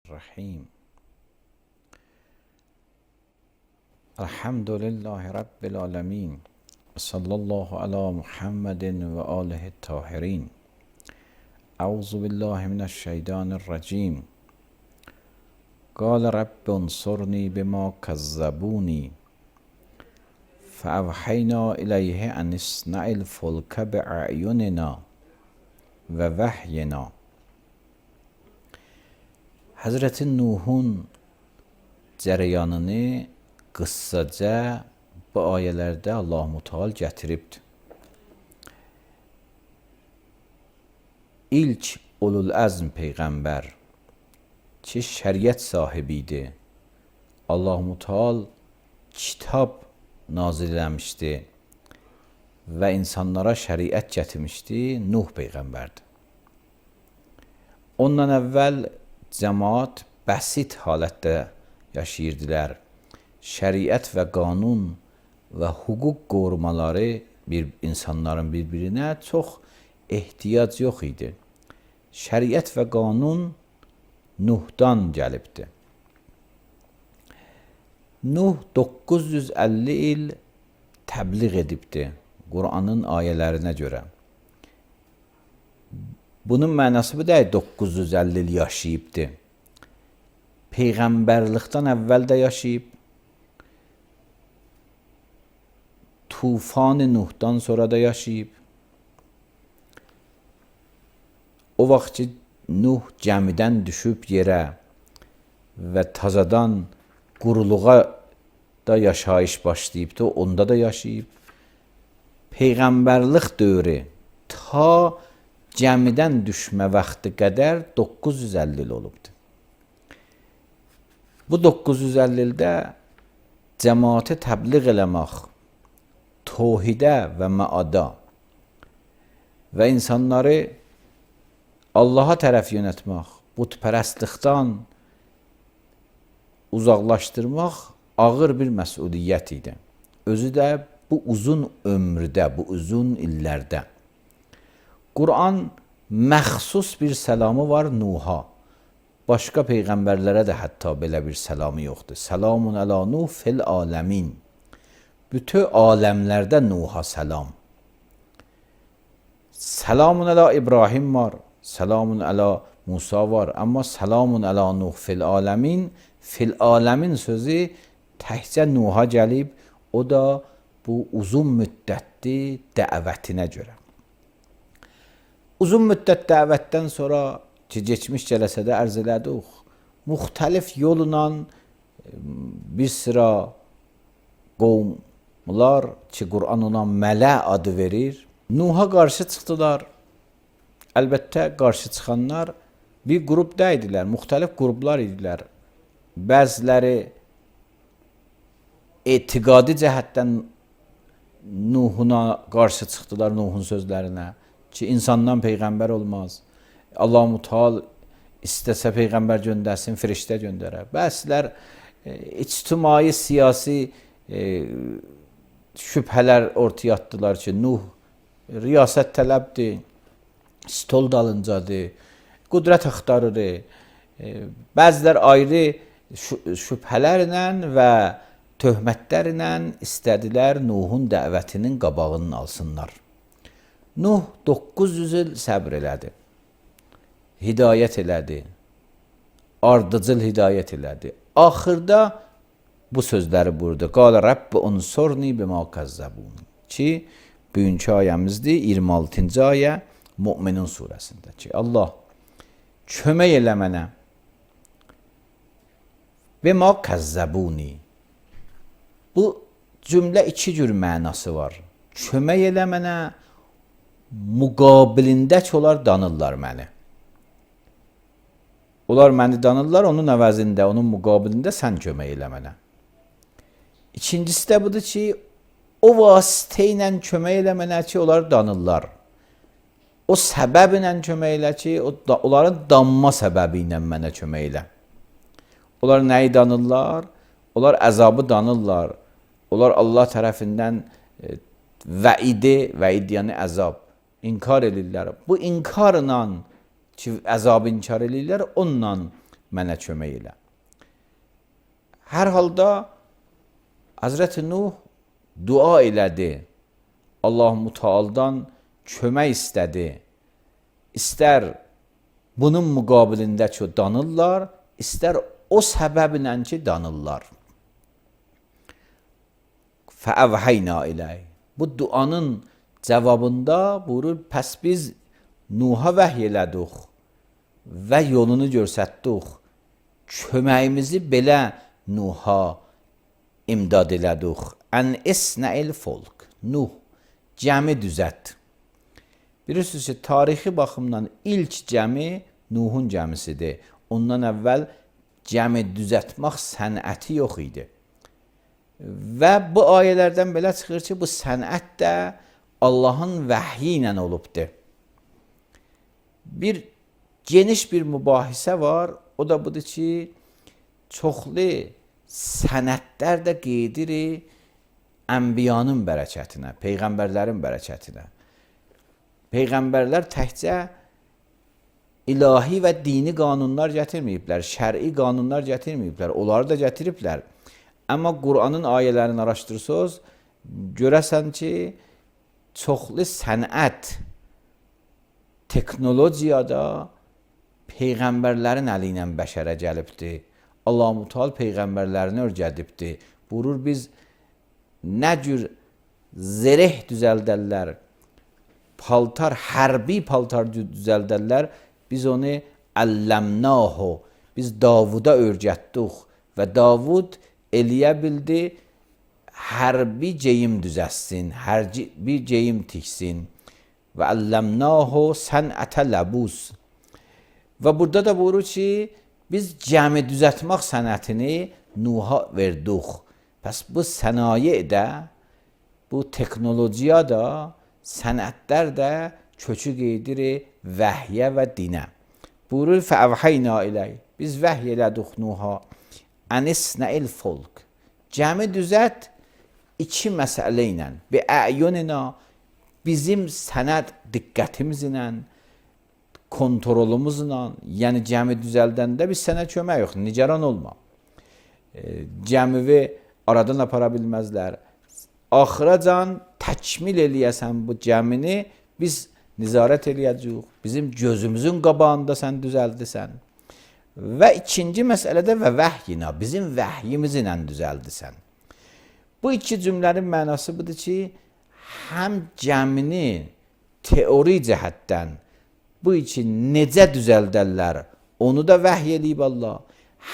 الرحيم الحمد لله رب العالمين صلى الله على محمد وآله الطاهرين أعوذ بالله من الشيطان الرجيم قال رب انصرني بما كذبوني فأوحينا إليه أن اصنع الفلك بأعيننا ووحينا. Həzrəti Nuhun cərəyanını qıssaca bu ayələrdə Allah-u Teala gətiribdir. İlk ulul əzm peyğəmbər ki şəriət sahibi idi. Allah-u Teala kitab nazil eləmişdi və insanlara şəriət gətirmişdi. Nuh peyğəmbərdir. Ondan əvvəl cəmaat bəsit halətdə yaşayırdılar. Şəriət və qanun və hüquq qorumaları insanların bir-birinə çox ehtiyac yox idi. Şəriət və qanun Nuhdan gəlibdi. Nuh 950 il təbliğ edibdi Quranın ayələrinə görə. Bunun mənası bu deyil, 950 il yaşayıbdı. Peyğəmbərlikdən əvvəl də yaşayıb, tufan-ı Nuhdan sonra da yaşayıb. O vaxt ki, Nuh gəmidən düşüb yerə və tazadan quruluğa da yaşayış başlayıbdı, onda da yaşayıb. Peyğəmbərlik dövrü ta gəmidən düşmə vaxtı qədər 950 il olubdur. Bu 950 ildə cəmaatı təbliğ eləmək, tövhidə və məada və insanları Allaha tərəf yönətmək, bütpərəstlikdən uzaqlaşdırmaq ağır bir məsuliyyət idi. Özü də bu uzun ömrdə, bu uzun illərdə. Quran məxsus bir səlamı var Nuh'a. Başqa peyğəmbərlərə də hətta belə bir səlamı yoxdur. Səlamun əla Nuh fil aləmin. Bütün aləmlərdə Nuh'a səlam. Səlamun əla İbrahim var, səlamun əla Musa var. Amma səlamun əla Nuh fil aləmin sözü təkcə Nuh'a gəlib, o da bu uzun müddətli dəvətinə görə. Uzun müddət dəvətdən sonra ki, keçmiş cələsədə ərz elədik, müxtəlif yolla bir sıra qovmlar ki, Quran ona mələ adı verir, Nuh'a qarşı çıxdılar. Əlbəttə, qarşı çıxanlar bir qrupda idilər, müxtəlif qruplar idilər. Bəziləri etiqadi cəhətdən Nuhuna qarşı çıxdılar, Nuhun sözlərinə. Ki, insandan peyğəmbər olmaz. Allah-u Teala istəsə peyğəmbər göndərsin, firiştə göndərər. Bəzilər ictimai, siyasi şübhələr ortaya atdılar ki, Nuh riyasət tələbdir, stol dalıncadır, qudrət axtarır. Bəzilər ayrı şübhələrlə və töhmətlərlə istədilər Nuhun dəvətinin qabağını alsınlar. Nuh 900 il səbr elədi, hidayət elədi, ardıcıl hidayət elədi. Axırda bu sözləri buyurdu. Qala Rabbi unsurni bima kəzzəbuni. Ki, bugünkü ayəmizdir, 26-cı ayə Mü'minun surəsində ki, Allah kömək elə mənə bima kəzzəbuni. Bu cümlə iki cür mənası var. Kömək elə mənə müqabilində ki, onlar danırlar məni. Onlar məni danırlar, onun əvəzində, onun müqabilində sən kömək elə mənə. İkincisi də budur ki, o vasitə ilə kömək elə mənə ki, onlar danırlar. O səbəb ilə kömək elə ki, onların danma səbəbi ilə mənə kömək elə. Onlar nəyi danırlar? Onlar əzabı danırlar. Onlar Allah tərəfindən vəid yəni əzab. İnkar edirlər. Bu inkarla ki, əzabı inkar edirlər, onunla mənə kömək elə. Hər halda Həzrəti Nuh dua elədi. Allah-u Teala'dan kömək istədi. İstər bunun müqabilində ki, danırlar, istər o səbəblə ki, danırlar. Fəəvhəynə iləy. Bu duanın cavabında buyurur, pəs biz Nuh'a vəhy elədik və yolunu göstərdik. Köməyimizi belə Nuh'a imdad elədik. Ən isnəil folk. Nuh, cəmi düzət. Bilirsiniz ki, tarixi baxımdan ilk cəmi Nuhun cəmisidir. Ondan əvvəl cəmi düzətmək sənəti yox idi. Və bu ayələrdən belə çıxır ki, bu sənət də Allahın vəhyi ilə olubdur. Bir geniş bir mübahisə var, o da budur ki, çoxlu sənətlər də qeydir ənbiyanın bərəkətinə, peyğəmbərlərin bərəkətinə. Peyğəmbərlər təkcə ilahi və dini qanunlar gətirməyiblər, şəri qanunlar gətirməyiblər, onları da gətiriblər. Amma Qur'anın ayələrini araşdırsınız, görəsən ki, çoxlu sənət, teknologiyada peyğəmbərlərin əli ilə bəşərə gəlibdir. Allah-u Teala peyğəmbərlərini öyrədibdir. Buyurur, biz nə cür zəreh düzəldərlər, paltar, hərbi paltar düzəldərlər, biz onu əlləmnahu, biz Davuda öyrətdik və Davud eləyə bildi, hərbi geyim düzəssin, hərbi geyim tiksin və əlləmnahu sənətə ləbus. Və burada da buyurur ki, biz cəmi düzətmək sənətini Nuh'a verdik. Pəs bu sənaye də, bu teknologiya da, sənətlər də köçü qeydir vəhyə və dinə. Buyurur, fəəvhəynə iləy. Biz vəhy elədik Nuh'a. Ənisnəil folk. Cəmi düzət iki məsələ ilə. Bi əyunina, bizim sənət diqqətimizlə, kontrolumuzla, yəni cəmi düzəldəndə biz sənə kömək yox, nigaran olma. Cəmivi aradan apara bilməzlər. Axıracan təkmil eləyəsən bu cəmini, biz nizarət eləyəcəyik. Bizim gözümüzün qabağında sən düzəldisən. Və ikinci məsələdə və vəhyina, bizim vəhyimizlə düzəldisən. Bu iki cümlənin mənası budur ki, həm cəmini teori cəhətdən bu üçün necə düzəldərlər, onu da vəhy eləyib Allah.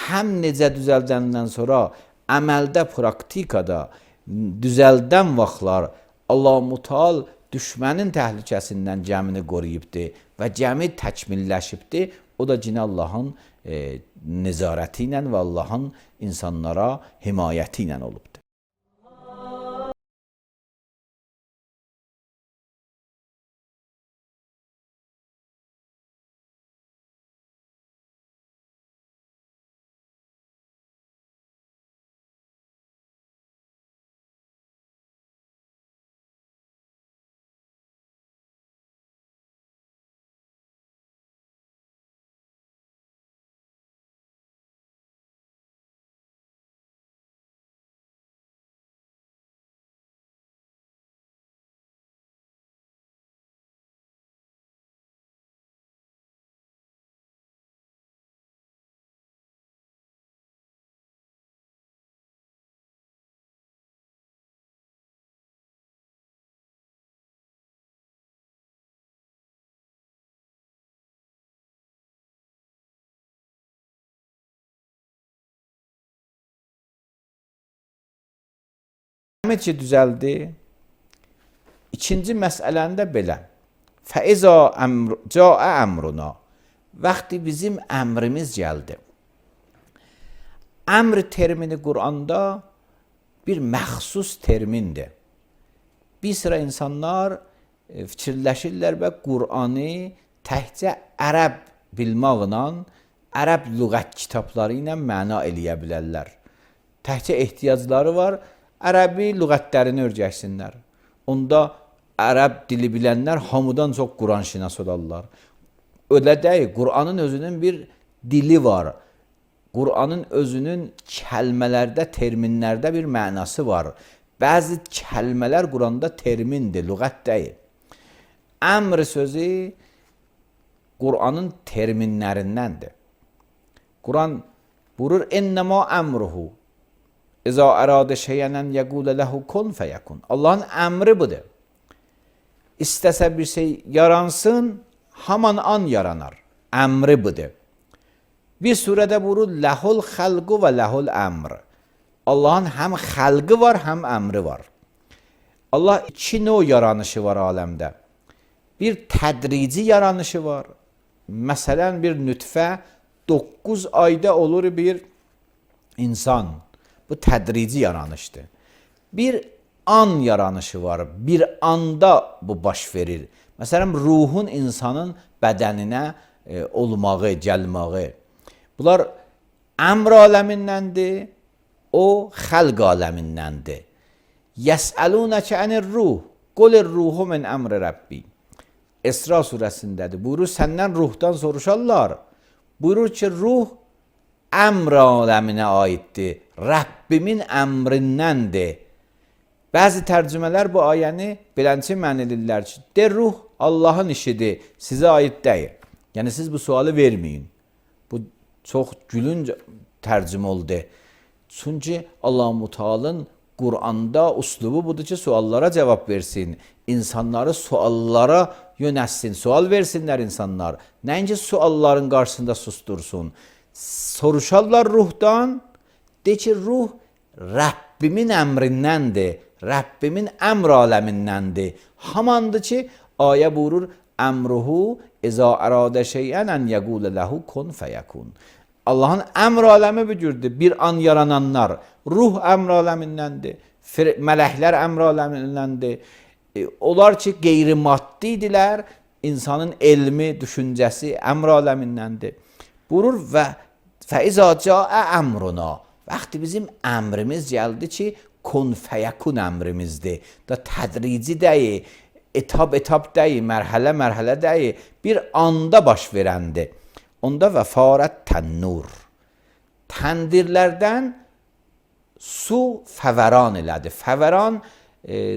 Həm necə düzəldəndən sonra əməldə, praktikada düzəldən vaxtlar Allah-u Teala düşmənin təhlükəsindən cəmini qoruyubdur və cəmi təkmilləşibdir. O da yine Allah'ın nezarəti ilə və Allah'ın insanlara himayəti ilə olubdur. Əhmədcə düzəldi. İkinci məsələni də belə. Fəizə cəə əmruna. Vaxtı bizim əmrimiz gəldi. Əmr termini Quranda bir məxsus termindir. Bir sıra insanlar fikirləşirlər və Qur'anı təkcə ərəb bilməklə, ərəb lüğət kitabları ilə məna eləyə bilərlər. Təkcə ehtiyacları var, ərəbi lüğətlərini öyrənsinlər. Onda ərəb dili bilənlər hamıdan çox Quran şinas olarlar. Öyle deyil, Qur'anın özünün bir dili var, Qur'anın özünün kəlmələrdə, terminlərdə bir mənası var. Bəzi kəlmələr Qur'anda termindir, lüğət deyil. Əmr sözü Qur'anın terminlərindəndir. Qur'an buyurur, "İnnəmə əmruhu İza əradə şeyən yəqulə ləhu kun fəyəkun." Allahın əmri budur. İstəsə bir şey yaransın, haman an yaranar. Əmri budur. Bir surədə buyurur, "Ləhul xəlqu və ləhul əmr." Allahın həm xəlqi var, həm əmri var. Allah iki növ yaranışı var aləmdə. Bir tədrici yaranışı var. Məsələn, bir nütfə 9 ayda olur bir insan. Bu tədrici yaranışdır. Bir an yaranışı var. Bir anda bu baş verir. Məsələn, ruhun insanın bədəninə olmağı, gəlməyi. Bunlar əmr aləmindəndir, o xəlq aləmindəndir. Yəsəlunəkə ənir-ruh, qulir-ruhu min əmri Rəbbi. İsra surəsindədir. Buyurur, səndən ruhdan soruşarlar. Buyurur ki, ruh əmr aləminə aiddir. Rəbbimin əmrindəndir. Bəzi tərcümələr bu ayəni belənçi mən edirlər ki, de ruh Allahın işidir, sizə aid deyil. Yəni siz bu sualı verməyin. Bu çox gülünc tərcümə oldu. Çünki Allah-u Teala'nın Qur'anda uslubu budur ki, suallara cavab versin. İnsanları suallara yönətsin, sual versinlər insanlar. Nəinki sualların qarşısında sustursun. Soruşarlar ruhdan, de ki, ruh Rəbbimin əmrindəndir, Rəbbimin əmr aləmindəndir. Hamandır ki, ayə buyurur, əmruhu izə əradə şeyən ən yəqulə ləhu kun fəyəkun. Allahın əmr aləmi bu cürdür. Bir an yarananlar, ruh əmr aləmindəndir, mələklər əmr aləmindəndir. Onlar ki, qeyri-maddidirlər, insanın elmi, düşüncəsi əmr aləmindəndir. Buyurur və fəizə cəə əmruna. Vaxtı bizim əmrimiz gəldi ki, kun fəyəkun əmrimizdir. Da tədrici deyil, etap deyil, mərhələ deyil, bir anda baş verəndir. Onda və farət tənnur. Təndirlərdən su fəvəran elədi. Fəvəran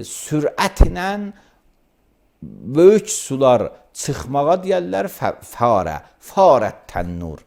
sürətlə böyük sular çıxmağa deyərlər farət tənnur.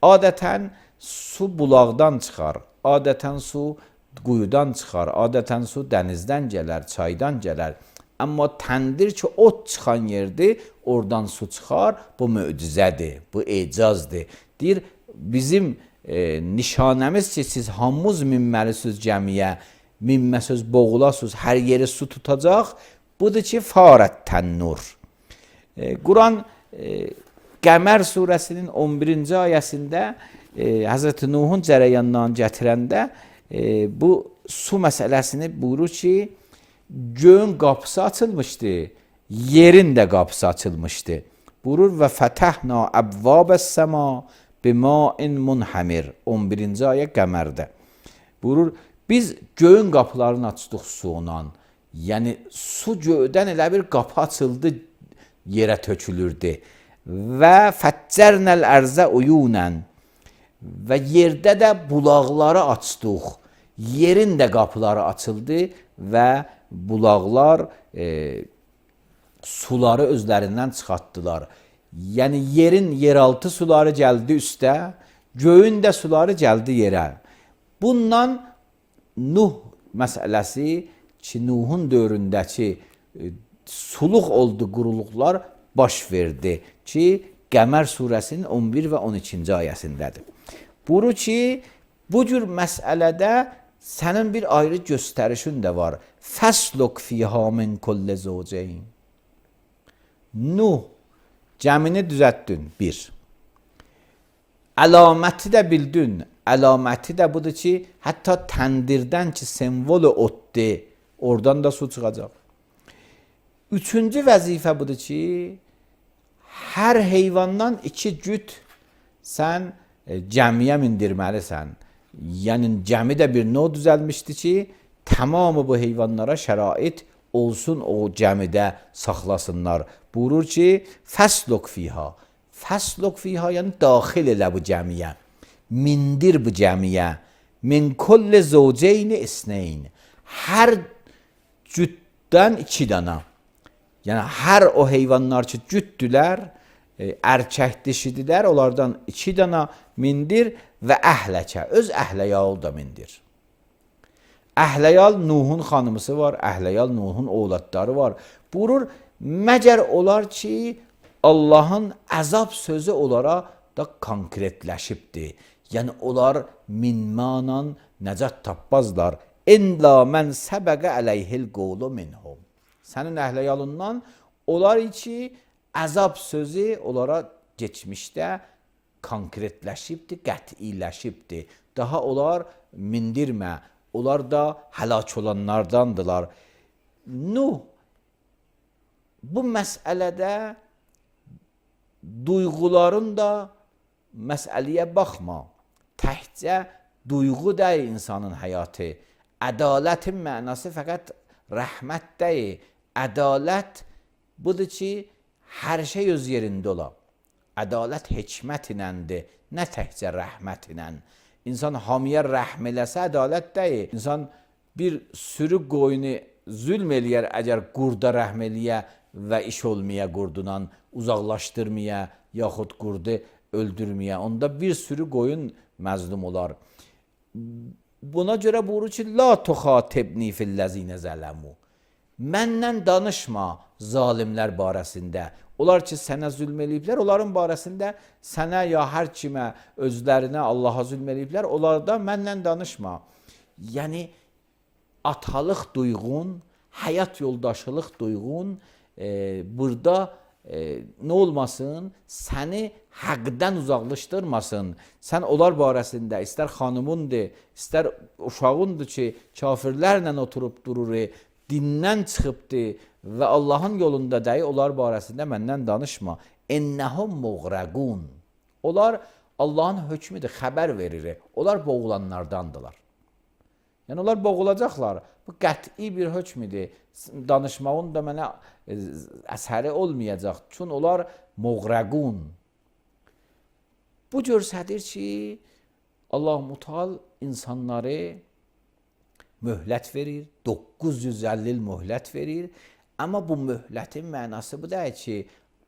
Adətən su bulaqdan çıxar, adətən su quyudan çıxar, adətən su dənizdən gələr, çaydan gələr. Amma təndir ki, ot çıxan yerdir, oradan su çıxar, bu möcüzədir, bu ecazdır. Deyir, bizim nişanəmiz ki, siz hamımız minməlisiniz gəmiyə, minməsiz boğulasınız, hər yeri su tutacaq, budur ki, farət tənnur. Quran Qəmər surəsinin 11-ci ayəsində Həzrəti Nuhun cərəyandan gətirəndə bu su məsələsini buyurur ki, göyün qapısı açılmışdı, yerin də qapısı açılmışdı. Buyurur və fətəhna əbvəbəs-səma bima'in munhamir. 11-ci ayə Qəmərdə. Buyurur, biz göyün qapılarını açdıq suyla. Yəni su göydən elə bir qapı açıldı, yerə tökülürdü. Və fəccərnəl ərzə uyunən. Və yerdə də bulaqları açdıq. Yerin də qapıları açıldı və bulaqlar suları özlərindən çıxartdılar. Yəni yerin yeraltı suları gəldi üstə, göyün də suları gəldi yerə. Bundan Nuh məsələsi ki, Nuhun dövründəki suluq oldu, quruluqlar baş verdi ki, Qəmər surəsinin 11 və 12-ci ayəsindədir. Buyurur ki, bu cür məsələdə sənin bir ayrı göstərişin də var. Fəsluk fiyhə min kulli zəvcəyn. Nuh, cəmini düzəltdin, bir. Əlaməti də bildin. Əlaməti də budur ki, hətta təndirdən ki, semvolu otdur, oradan da su çıxacaq. Üçüncü vəzifə budur ki, hər heyvandan 2 cüt sən cəmiyə mindirməlisən. Yəni cəmi də bir növ düzəlmişdi ki, tamamı bu heyvanlara şərait olsun, o cəmidə saxlasınlar. Buyurur ki, fəsluk fiyha. Fəsluk fiyha yəni daxil elə bu cəmiyə. mindir bu cəmiyə min kulli zəvceyn isneyn. Hər cütdən 2 dana. Yəni hər o heyvanlar ki cütdülər, erkək dişidirlər, onlardan 2 dana mindir və əhləkə, öz əhləyalı da mindir. Əhləyal Nuhun xanımısı var, Əhləyal Nuhun oğlatları var. Buyurur, məgər olar ki, Allahın əzab sözü onlara da konkretləşibdir. Yəni, onlar minmanla nəcat tapmazlar. İnla mən səbəqə əleyhil qovlu minhum. Sənin əhləyalından onlar ki, əzab sözü onlara geçmişdə konkretləşibdir, qətiləşibdir. Daha onlar mindirmə. Onlar da həlak olanlardandılar. Nuh, bu məsələdə duyğuların da məsələyə baxma. Təkcə duyğu deyil insanın həyatı. Ədalətin mənası fəqət rəhmət deyil. Ədalət budur ki, hər şey öz yerində ola. Ədalət hikmət iləndir, nə təkcə rəhmət ilən. İnsan hamiyə rəhm eləsə ədalət deyil. İnsan bir sürü qoyunu zülm eləyər əgər qurda rəhm eləyə və iş olmaya qurdunan uzaqlaşdırmaya yaxud qurdu öldürməyə. Onda bir sürü qoyun məzlum olar. Buna görə buyurur ki, la tuxatibni fillezine zələmu. Məndən danışma zalimlər barəsində. Onlar ki, sənə zülm eləyiblər, onların barəsində sənə ya hər kimə, özlərinə, Allaha zülm eləyiblər, onlardan məndən danışma. Yəni, atalıq duyğun, həyat yoldaşılıq duyğun burada nə olmasın, səni həqdən uzaqlaşdırmasın. Sən onlar barəsində, istər xanımındır, istər uşağındır ki, kafirlərlə oturub durur, dindən çıxıbdır və Allahın yolunda deyil, onlar barəsində məndən danışma. İnnəhum muğrəqun. Onlar Allahın hökmüdür, xəbər verir. Onlar boğulanlardandılar. Yəni, onlar boğulacaqlar. Bu qəti bir hökmüdür. Danışmağın da mənə əsəri olmayacaq. Çünki onlar muğrəqun. Bu görsədir ki, Allah-u Teala insanları möhlət verir, 950 il möhlət verir. Amma bu möhlətin mənası bu deyil ki,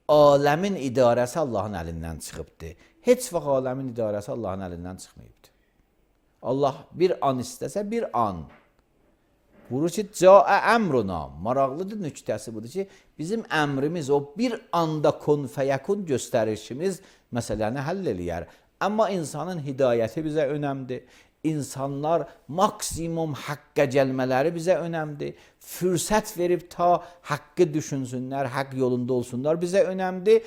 aləmin idarəsi Allahın əlindən çıxıbdır. Heç vaxt aləmin idarəsi Allahın əlindən çıxmayıbdır. Allah bir an istəsə bir an. Buyurur ki, cəə əmruna. Maraqlıdır nüktəsi budur ki, bizim əmrimiz o bir anda kun fəyəkun göstərişimiz məsələni həll eləyər. Amma insanın hidayəti bizə önəmdir. İnsanlar maksimum haqqa gəlmələri bizə önəmdir. Fürsət verib ta haqqı düşünsünlər, haqq yolunda olsunlar bizə önəmdir.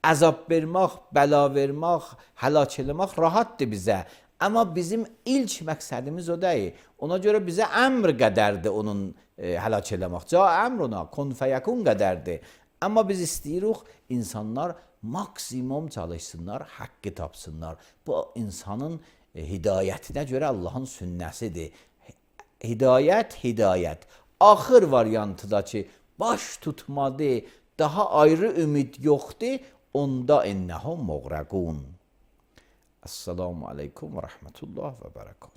Əzab vermək, bəla vermək, həlak eləmək rahatdır bizə. Amma bizim ilk məqsədimiz o deyil. Ona görə bizə əmr qədərdir onun həlak eləmək. Ca əmruna, kun fəyəkun qədərdir. Amma biz istəyirik insanlar maksimum çalışsınlar, haqqı tapsınlar. Bu insanın hidayətinə görə Allahın sünnəsidir. Hidayət, hidayət. Axır variantı da ki, baş tutmadı, daha ayrı ümid yoxdur, onda innəhum muğrəqun. Esselamu aleykum və rəhmətullah və bərəkət.